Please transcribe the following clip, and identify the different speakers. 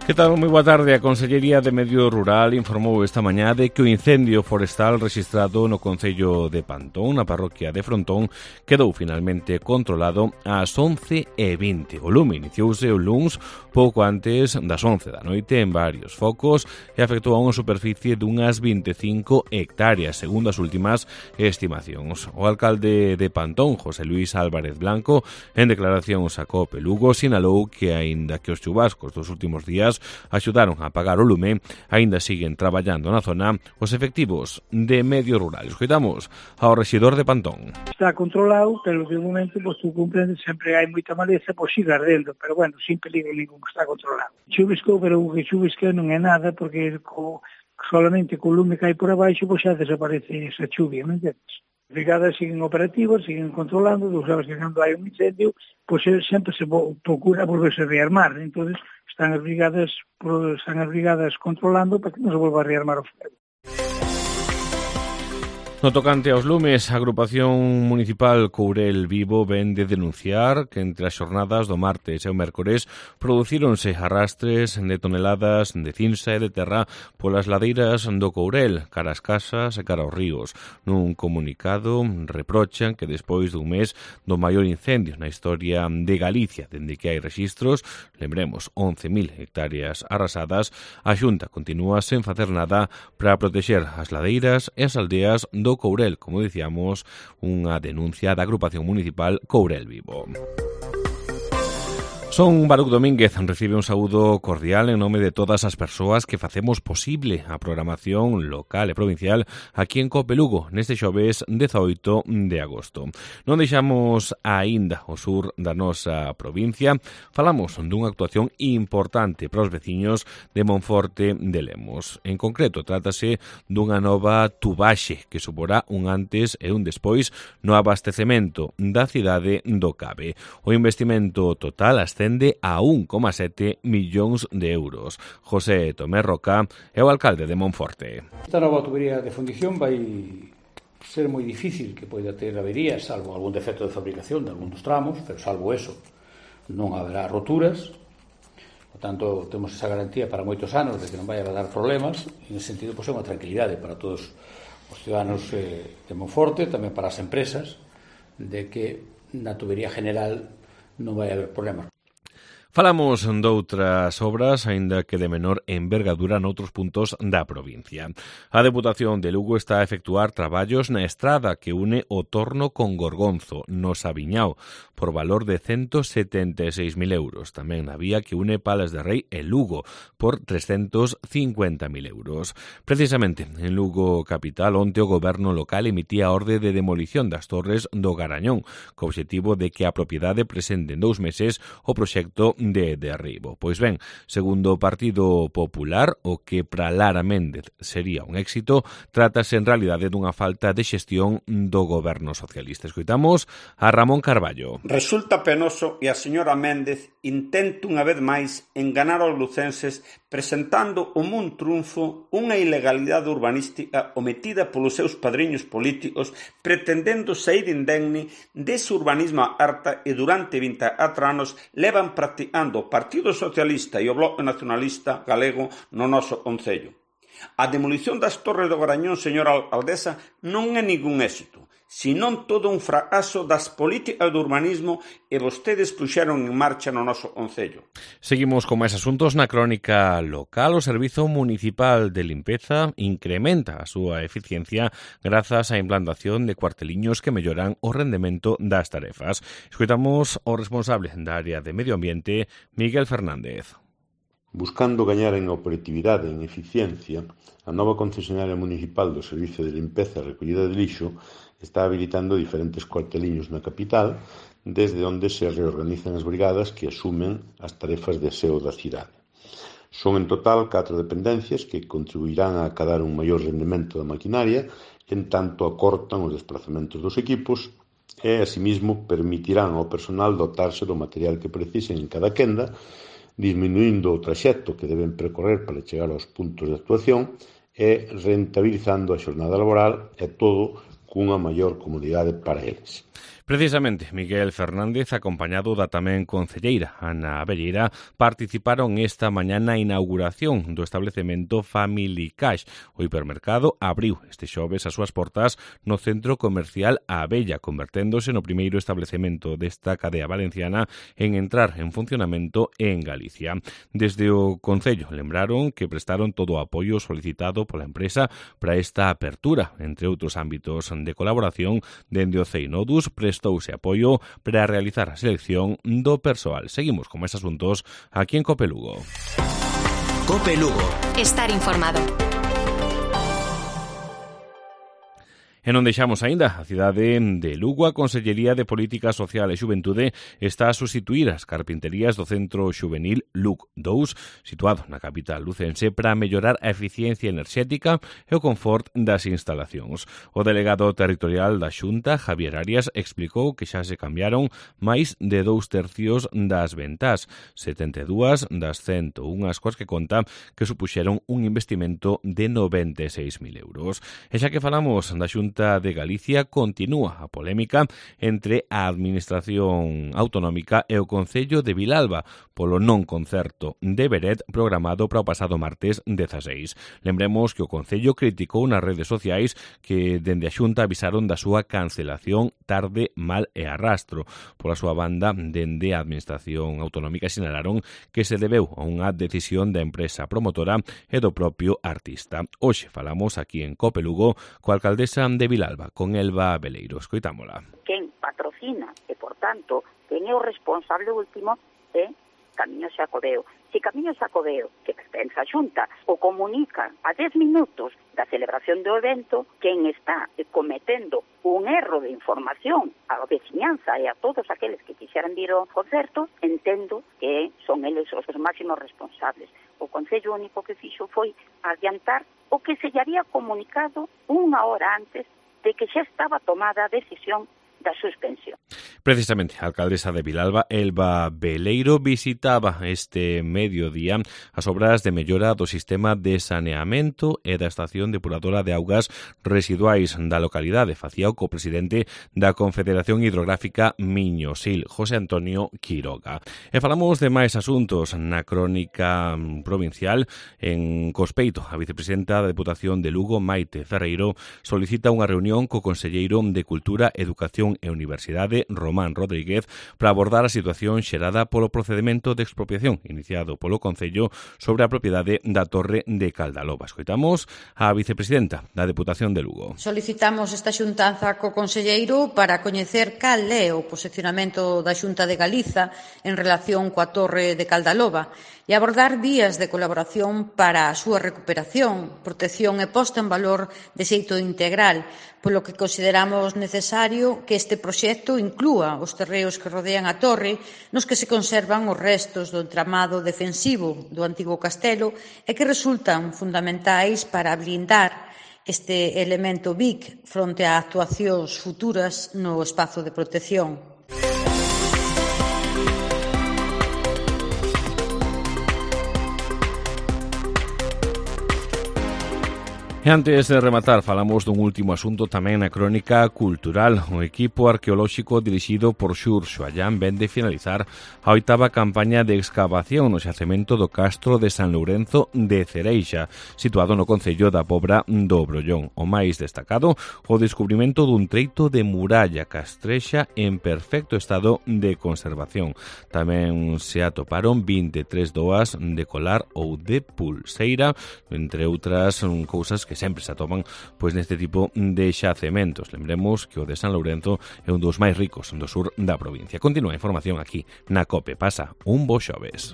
Speaker 1: Que tal? Moi boa tarde. A Consellería de Medio Rural informou esta mañá de que o incendio forestal rexistrado no concello de Pantón, na parroquia de Frontón, quedou finalmente controlado ás 11:20. O lume iniciouse o luns pouco antes das 11 da noite en varios focos e afectou a unha superficie dunhas 25 hectáreas, segundo as últimas estimacións. O alcalde de Pantón, José Luis Álvarez Blanco, en declaracións a COPE Lugo, sinalou que, aínda que os chubascos dos últimos días axudaron a apagar o lume, aínda siguen traballando na zona os efectivos de Medio Rural. Escoitamos ao rexedor de Pantón.
Speaker 2: Está controlado, pero de momento, tú comprendes, sempre hai moita maleza, sigue ardendo, pero bueno, sin peligro ningún, está controlado. Chuvisco, pero o que chuvisca non é nada, porque solamente co lume que hai por abaixo, xa desaparece esa chuvia, non entendes? As brigadas siguen operativas, siguen controlando, tú sabes que cando hai un incendio, sempre se procura volverse a rearmar, entonces están as brigadas controlando para que non se volva a rearmar o fuego.
Speaker 1: No tocante aos lumes, a agrupación municipal Courel Vivo ven de denunciar que entre as xornadas do martes e o mércores producíronse arrastres de toneladas de cinza e de terra polas ladeiras do Courel, cara ás casas e cara aos ríos. Nun comunicado reprochan que despois dun mes do maior incendio na historia de Galicia, dende que hai rexistros, lembremos, 11.000 hectáreas arrasadas, a Xunta continúa sen facer nada para protexer as ladeiras e as aldeas do Courel, como dicíamos, unha denuncia da agrupación municipal Courel Vivo. Son Baruc Domínguez, recibe un saúdo cordial en nome de todas as persoas que facemos posible a programación local e provincial aquí en COPE Lugo, neste xoves 18 de agosto. Non deixamos aínda o sur da nosa provincia, falamos dunha actuación importante para os veciños de Monforte de Lemos. En concreto, trátase dunha nova tubaxe que suporá un antes e un despois no abastecemento da cidade do Cabe. O investimento total ascende a 1,7 millóns de euros. José Tomé Roca é o alcalde de Monforte.
Speaker 3: Esta nova tubería de fundición vai ser moi difícil que poida ter averías, salvo algún defecto de fabricación de algún dos tramos, pero salvo eso non haberá roturas. Por tanto, temos esa garantía para moitos anos de que non vai a dar problemas, e nesse sentido, é unha tranquilidade para todos os ciudadanos de Monforte, tamén para as empresas, de que na tubería general non vai haber problemas.
Speaker 1: Falamos doutras obras, aínda que de menor envergadura noutros puntos da provincia. A Deputación de Lugo está a efectuar traballos na estrada que une o Torno con Gorgonzo, no Sabiñao, por valor de 176.000 euros. Tamén na vía que une Palas de Rei e Lugo, por 350.000 euros. Precisamente, en Lugo capital, onte o goberno local emitía a orde de demolición das torres do Garañón, co obxectivo de que a propiedade presente en 2 meses o proxecto de derribo. Pois ben, segundo o Partido Popular, o que para Lara Méndez sería un éxito, trátase en realidade dunha falta de xestión do goberno socialista. Escoitamos a Ramón Carballo.
Speaker 4: Resulta penoso e a señora Méndez intenta unha vez máis enganar aos lucenses presentando como un triunfo unha ilegalidade urbanística ometida polos seus padriños políticos, pretendendo sair indemne dese urbanismo harta e durante 24 anos levan practicando o Partido Socialista e o Bloque Nacionalista Galego no noso concello. A demolición das torres do Garañón, señora alcaldesa, non é ningún éxito, senón todo un fracaso das políticas do urbanismo e vostedes puxeron en marcha no noso concello.
Speaker 1: Seguimos con máis asuntos na crónica local. O Servizo Municipal de Limpeza incrementa a súa eficiencia grazas á implantación de cuarteliños que melloran o rendemento das tarefas. Escoitamos o responsable da área de Medio Ambiente, Miguel Fernández.
Speaker 5: Buscando gañar en operatividade e en eficiencia, a nova concesionaria municipal do Servicio de Limpeza e Recollida de Lixo está habilitando diferentes cuarteliños na capital, desde onde se reorganizan as brigadas que asumen as tarefas de aseo da cidade. Son en total 4 dependencias que contribuirán a acadar un maior rendemento da maquinaria, en tanto acortan os desplazamentos dos equipos e, asimismo, permitirán ao personal dotarse do material que precisen en cada quenda, disminuindo o traxecto que deben percorrer para chegar aos puntos de actuación e rentabilizando a xornada laboral e todo cunha maior comodidade para eles.
Speaker 1: Precisamente, Miguel Fernández, acompañado da tamén concelleira Ana Abelleira, participaron esta mañá na inauguración do establecemento Family Cash. O hipermercado abriu este xoves as súas portas no centro comercial A Abella, converténdose no primeiro establecemento desta cadea valenciana en entrar en funcionamento en Galicia. Desde o Concello lembraron que prestaron todo o apoio solicitado pola empresa para esta apertura, entre outros ámbitos de colaboración. Dende o CEINODUS prestouse apoio para realizar a selección do persoal. Seguimos con máis asuntos aquí en Cope Lugo.
Speaker 6: Cope Lugo.
Speaker 7: Estar informado.
Speaker 1: E non deixamos aínda a cidade de Lugo. A Consellería de Política Social e Xuventude está a sustituir as carpinterías do Centro Xuvenil LUC 2, situado na capital lucense, para mellorar a eficiencia enerxética e o confort das instalacións. O delegado territorial da Xunta, Javier Arias, explicou que xa se cambiaron máis de 2/3 das ventás, 72 das 101 coas que conta, que supuxeron un investimento de 96.000 euros. E xa que falamos da Xunta de Galicia, continúa a polémica entre a Administración Autonómica e o Concello de Vilalba polo non concerto de Beret programado para o pasado martes 16. Lembremos que o Concello criticou nas redes sociais que dende a Xunta avisaron da súa cancelación tarde, mal e arrastro. Pola súa banda, dende a Administración Autonómica sinalaron que se debeu a unha decisión da empresa promotora e do propio artista. Hoxe falamos aquí en Cope Lugo coa alcaldesa de Vilalba, con Elba Beleiro. Escoitámola.
Speaker 8: Quen patrocina e, por tanto, quen é o responsable último é Camiños Xacobeo. Se Camiños Xacobeo, que pertence á Xunta, o comunica a 10 minutos da celebración do evento, quen está cometendo un erro de información á veciñanza e a todos aqueles que quixeran vir ao concerto, entendo que son eles os máximos responsables. O Concello único que fixo foi adiantar o que se lle había comunicado unha hora antes de que xa estaba tomada a decisión da suspensión.
Speaker 1: Precisamente, a alcaldesa de Vilalba, Elba Beleiro, visitaba este mediodía as obras de mellora do sistema de saneamento e da estación depuradora de augas residuais da localidade. Facía o copresidente da Confederación Hidrográfica Miño-Sil, José Antonio Quiroga. E falamos de máis asuntos na crónica provincial. En Cospeito, a vicepresidenta da Deputación de Lugo, Maite Ferreiro, solicita unha reunión co conselleiro de Cultura, Educación e Universidade, Román Rodríguez, para abordar a situación xerada polo procedimento de expropiación iniciado polo Concello sobre a propiedade da Torre de Caldaloba. Escoitamos a vicepresidenta da Deputación de Lugo.
Speaker 9: Solicitamos esta xuntanza co conselleiro para coñecer cal é o posicionamento da Xunta de Galiza en relación coa Torre de Caldaloba e abordar vías de colaboración para a súa recuperación, protección e posta en valor de xeito integral, polo que consideramos necesario que este proxecto inclúa os terreos que rodean a torre, nos que se conservan os restos do entramado defensivo do antigo castelo e que resultan fundamentais para blindar este elemento BIC fronte a actuacións futuras no espazo de protección.
Speaker 1: E antes de rematar, falamos dun último asunto tamén na crónica cultural. O equipo arqueolóxico dirixido por Xurxo Allán ven de finalizar a 8ª campaña de excavación no xacemento do Castro de San Lourenzo de Cereixa, situado no concello da Pobra do Brollón. O máis destacado, o descubrimento dun treito de muralla castrexa en perfecto estado de conservación. Tamén se atoparon 23 doas de colar ou de pulseira, entre outras cousas que sempre se atopan neste tipo de xacementos. Lembremos que o de San Lourenzo é un dos máis ricos do sur da provincia. Continúa a información aquí na COPE. Pasa un bo xoves.